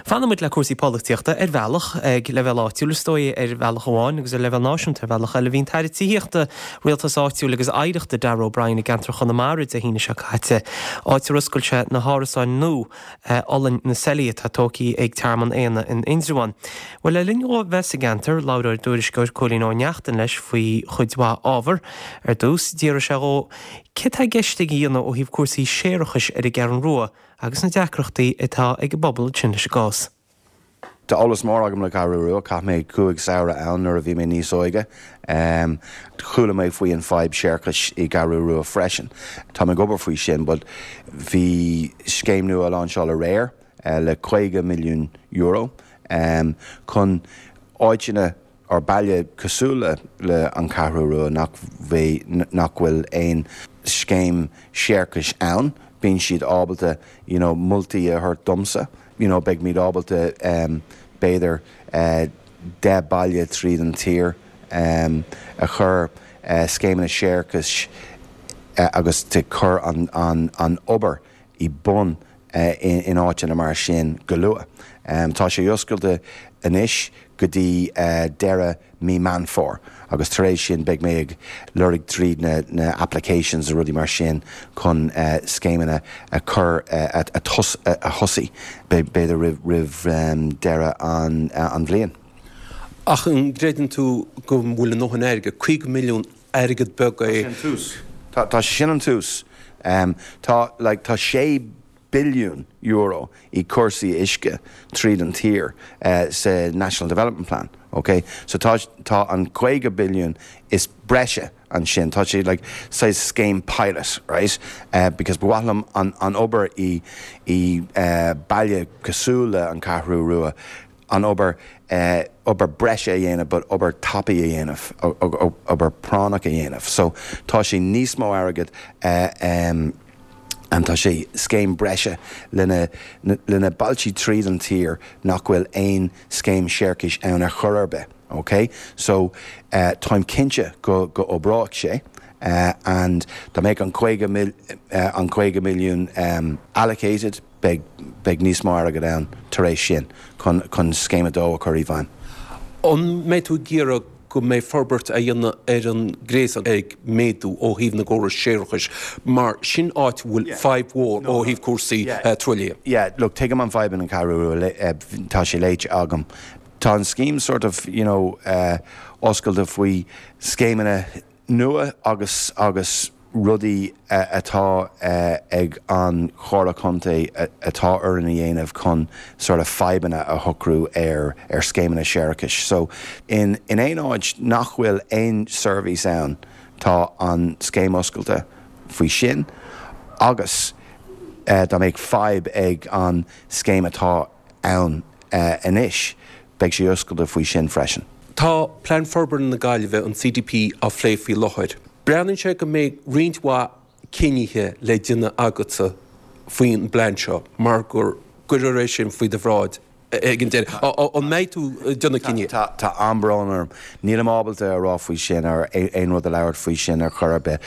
Fanann muid le cúrsaí polaitíochta ar bhealach, ag leibhéal áitiúil is dóigh ar bhealach amháin agus ar leibhéal náisiúnta ar bhealach eile. Bhí an tAire Tithíochta, Rialtais Áitiúil agus Oidhreachta Darragh O'Brien i gceantar Chonamara Dé hAoine seo caite, áit ar oscail sé na hárasáin nua Ollainn na Seilí atá tógtha ag Tearmann Éanna in Indreabhán. Bhuel, le linn dhó bheith sa gceantar, labhair ár dtuairisceoir Cóilín Ó Neachtain leis faoi chuid mhaith ábhar. Ar dtús, d'fhiafraigh sé dhó céard tá i gceist aige a dhéanamh ó thaobh cúrsaí séarachais ar an gCeathrú Rua agus na deacrachtaí atá ag an bpobal ansin leis an gcás. Tá eolas mór agam le Ceathrú Rua, chaith mé 5 samhradh ann nuair a bhí mé níos óige. Chuala mé faoi an fadhb séarachais i gCeathrú Rua freisin. Tá mé ag obair faoi sin but bhí scéim nua á láinseáil aréir le €50 milliún chun áiteanna or baile cosúil le le an Cheathrú Rua nach nach bhfuil aon scéim séarachais ann, bíonn siad ábalta you know moltaí a thabhairt domsa, you know beidh muid ábalta b'fhéidir 10 baile tríd an tír a chur scéimeanna séarachais agus to cur an an an obair i bun in áiteanna mar sin go luath. Tá sé oscailte anois go dtí deireadh mí Meán Fómhair agus tar éis sin beidh mé ag lorg tríd na applications a rudaí mar sin chun scéimeanna a chur a thosaí b'fhéidir roimh deireadh an bhliain. Ach an gcreideann tú go bhfuil a ndóthain airgid, 50 milliún airgead beag é. Tá sé an tús. Tá sé sin an tús. Tá, like, tá €6 billiún i cúrsaí uisce tríd an tír sa National Development Plan, ok? So tá, tá an 50 billiún is breise ansin. Tá sé like saghas scéim pilot, right? Because ba mhaith liom an, an obair i, i baile cosúil le an Ceathrú Rua, an obair, obair breise a dhéanamh but obair tapaidh a dhéanamh, obair práinneach a dhéanamh. So tá sé níos mó airgead and tá sé scéim breise lena, lena bailtí tríd an tír nach bhfuil aon scéim séarachais ann ar chor ar bith, ok? So táim cinnte go, go oibreoidh sé and dá mbeadh an 50 mil, an 50 milliún allocated, beidh, beidh níos mó airgead ann tar éis sin chun, chun Scéim 2 a chur i bhfeidhm. An mbeidh tú ag iarraidh go mbeidh forbairt á dhéanamh ar an ngréasán ag méadú ó thaobh na gcóras séarachais mar sin áit a bhfuil fadhb mhór ó thaobh cúrsaí truaillithe? Yeah, look, tuigim an fadhb in An Cheathrú Rua, tá sé léite agam. Tá an scéim sort of, you know, oscailte faoi scéimeanna nua agus agus rudaí atá ag an Chomhairle Contae atá orainn a dhéanamh chun sort of fadhbanna a shocrú ar ar scéimeanna séarachais. So in in aon áit nach bhfuil aon seirbhís ann tá an scéim oscailte faoi sin agus dá mbeadh fadhb ag an scéim atá ann anois, beidh sé oscailte faoi sin freisin. Tá Plean Forbartha na Gaillimhe, an CDP, á phlé faoi láthair. Breathnaíonn sé go mbeidh roinnt mhaith cinnithe le déanamh agatsa faoin bplean seo mar gur cuirfear é sin faoi do bhráid ag an deireadh. An mbeidh tú ag déanamh cinnithe? Tá an-brón orm. Nílim ábalta a rá faoi sin or aon rud a labhairt faoi sin ar chor ar bith.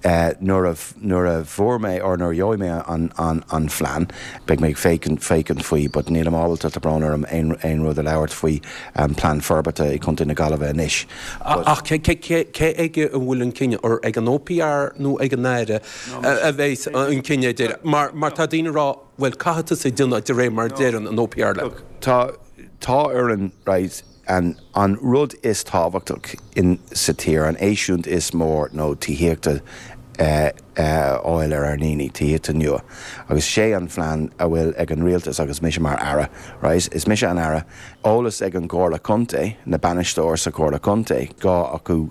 Nuair a nuair a fuair mé or nuair a gheobhaidh mé an an an phlean beidh mé ag féachaint féachaint faoi but nílim ábalta tá brón orm aon aon rud a labhairt faoi an plean forbartha i Contae na Gaillimhe anois but. Ach cé cé cé cé aige a bhfuil an cinneadh or ag an OPR nó ag an Aire a bheas an cinneadh ar deireadh? Mar mar tá daoine ag rá bhuel caithfidh tusa déanamh de réir mar a deireann an OPR leat. Look tá tá orainn right An an rud is tábhachtach in sa tír, an eisiúint is mór nó tithíochta a fháil ar ár ndaoine, tithíochta nua. Agus sé an phlean a bhfuil ag an rialtas agus mise mar Aire, right, is mise an Aire, eolas ag an gComhairle Contae, na bainisteoir sa Chomhairle Contae, gá acu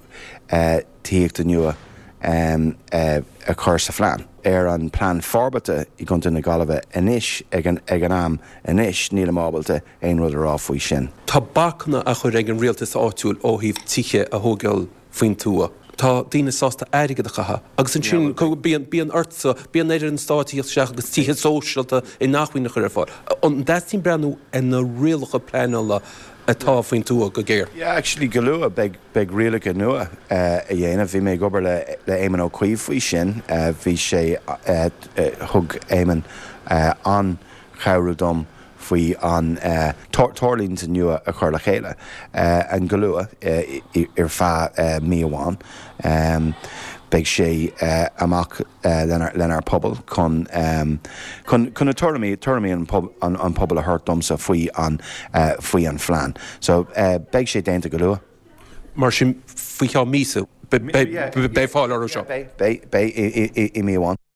tithíochta nua a chur sa phlean. Ar an plean forbartha i gContae na Gaillimhe anois ag an ag an am anois nílim ábalta aon rud a rá faoi sin. Tá bacanna á chur ag an rialtas áitiúil ó thaobh tithe a thógáil faoin tuath. Tá daoine sásta airgead a chaitheamh agus ansin bíonn, bíonn ortsa, bíonn ar an stát a theacht isteach agus tithe sóisialta inacmhainne a chur ar fáil. An dteastaíonn breathnú ar na rialacha pleanála atá faoin tuath go géar? Yeah, actually go luath beidh, beidh rialacha nua a dhéanamh. Bhí mé ag obair le, le Éamon Ó Cuív faoi sin. Bhí sé, thug Éamon an-chabhrú dom. faoi an treoirlínte nua a chur le chéile an go luath ar feadh mí amháin. Beidh sé amach lenár pobal chun chun na tuairimí tuairimí an an pobal a thabhairt domsa faoi an faoi an phlean. So beidh sé déanta go luath. Mar sin faoi cheann míosa beidh fáil orthu seo? Beidh, beidh i mí amháin.